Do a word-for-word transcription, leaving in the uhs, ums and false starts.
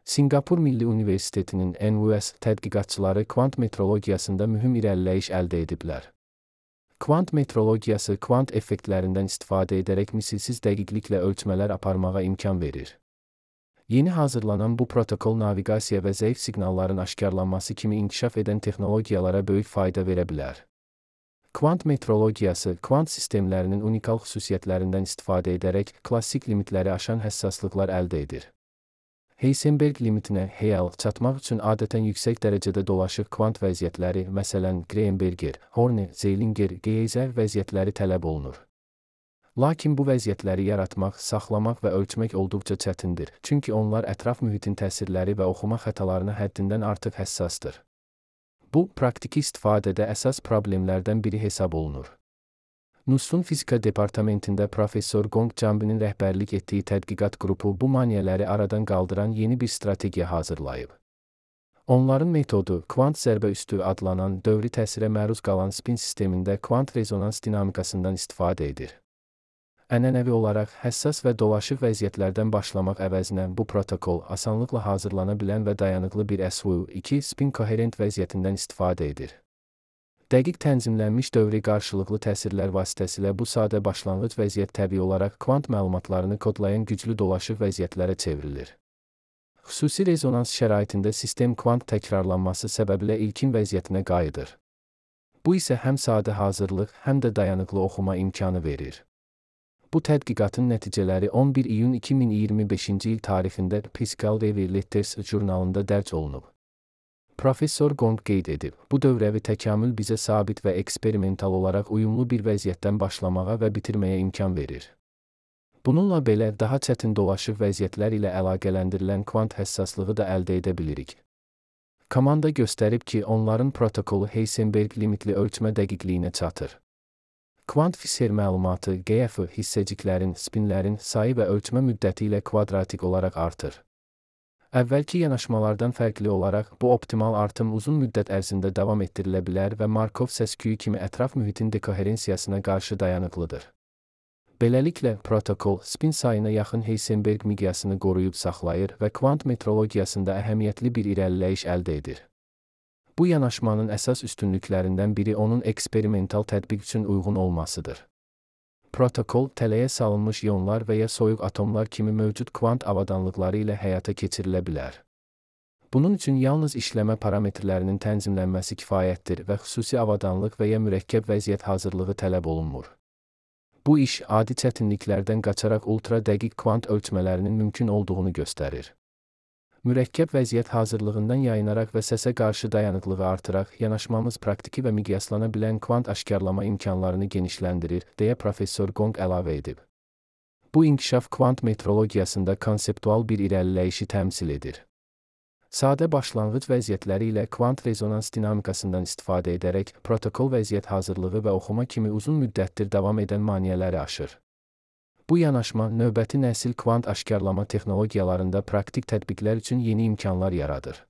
Sinqapur Milli Universitetinin N U S tədqiqatçıları kvant metrologiyasında mühüm irəliləyiş əldə ediblər. Kvant metrologiyası kvant effektlərindən istifadə edərək misilsiz dəqiqliklə ölçmələr aparmağa imkan verir. Yeni hazırlanan bu protokol naviqasiya və zəif siqnalların aşkarlanması kimi inkişaf edən texnologiyalara böyük fayda verə bilər. Kvant metrologiyası, kvant sistemlərinin unikal xüsusiyyətlərindən istifadə edərək klassik limitləri aşan həssaslıqlar əldə edir. Heisenberg limitinə H L çatmaq üçün adətən yüksək dərəcədə dolaşıq kvant vəziyyətləri, məsələn, Greenberger, Horne, Zeilinger, Geyser vəziyyətləri tələb olunur. Lakin bu vəziyyətləri yaratmaq, saxlamaq və ölçmək olduqca çətindir, çünki onlar ətraf mühitin təsirləri və oxuma xətalarına həddindən artıq həssasdır. Bu, praktiki istifadədə əsas problemlərdən biri hesab olunur. N U S-un fizika departamentində professor Gong Cambinin rəhbərlik etdiyi tədqiqat qrupu bu maneələri aradan qaldıran yeni bir strategiya hazırlayıb. Onların metodu, kvant zərbəüstü adlanan dövri təsirə məruz qalan spin sistemində kvant rezonans dinamikasından istifadə edir. Ənənəvi olaraq həssas və dolaşıq vəziyyətlərdən başlamaq əvəzinə bu protokol asanlıqla hazırlana bilən və dayanıqlı bir S V iki spin koherent vəziyyətindən istifadə edir. Dəqiq tənzimlənmiş dövri qarşılıqlı təsirlər vasitəsilə bu sadə başlanğıc vəziyyət təbii olaraq kvant məlumatlarını kodlayan güclü dolaşıq vəziyyətlərə çevrilir. Xüsusi rezonans şəraitində sistem kvant təkrarlanması səbəbilə ilkin vəziyyətinə qayıdır. Bu isə həm sadə hazırlıq, həm də dayanıqlı oxuma imkanı verir. Bu tədqiqatın nəticələri on bir iyun iki min iyirmi beşinci il tarixində Physical Review Letters jurnalında dərc olunub. Professor Gong qeyd edib, bu dövrəvi təkamül bizə sabit və eksperimental olaraq uyumlu bir vəziyyətdən başlamağa və bitirməyə imkan verir. Bununla belə, daha çətin dolaşıq vəziyyətlər ilə əlaqələndirilən kvant həssaslığı da əldə edə bilirik. Komanda göstərib ki, onların protokolu Heisenberg limitli ölçmə dəqiqliyinə çatır. Kvant Fisher məlumatı G F hissəciklərin, spinlərin sayı və ölçmə müddəti ilə kvadratik olaraq artır. Əvvəlki yanaşmalardan fərqli olaraq, bu optimal artım uzun müddət ərzində davam etdirilə bilər və Markov səs-küyü kimi ətraf mühitin dekoherensiyasına qarşı dayanıqlıdır. Beləliklə, protokol spin sayına yaxın Heisenberg miqyasını qoruyub saxlayır və kvant metrologiyasında əhəmiyyətli bir irəliləyiş əldə edir. Bu yanaşmanın əsas üstünlüklərindən biri onun eksperimental tətbiq üçün uyğun olmasıdır. Protokol, tələyə salınmış ionlar və ya soyuq atomlar kimi mövcud kvant avadanlıqları ilə həyata keçirilə bilər. Bunun üçün yalnız işləmə parametrlərinin tənzimlənməsi kifayətdir və xüsusi avadanlıq və ya mürəkkəb vəziyyət hazırlığı tələb olunmur. Bu iş, adi çətinliklərdən qaçaraq ultra dəqiq kvant ölçmələrinin mümkün olduğunu göstərir. Mürəkkəb vəziyyət hazırlığından yayınaraq və səsə qarşı dayanıqlığı artıraq, yanaşmamız praktiki və miqyaslana bilən kvant aşkarlama imkanlarını genişləndirir, deyə professor Gong əlavə edib. Bu inkişaf kvant metrologiyasında konseptual bir irəliləyişi təmsil edir. Sadə başlanğıc vəziyyətləri ilə kvant rezonans dinamikasından istifadə edərək, protokol vəziyyət hazırlığı və oxuma kimi uzun müddətdir davam edən maneələri aşır. Bu yanaşma, növbəti nəsil kvant aşkarlama texnologiyalarında praktik tətbiqlər üçün yeni imkanlar yaradır.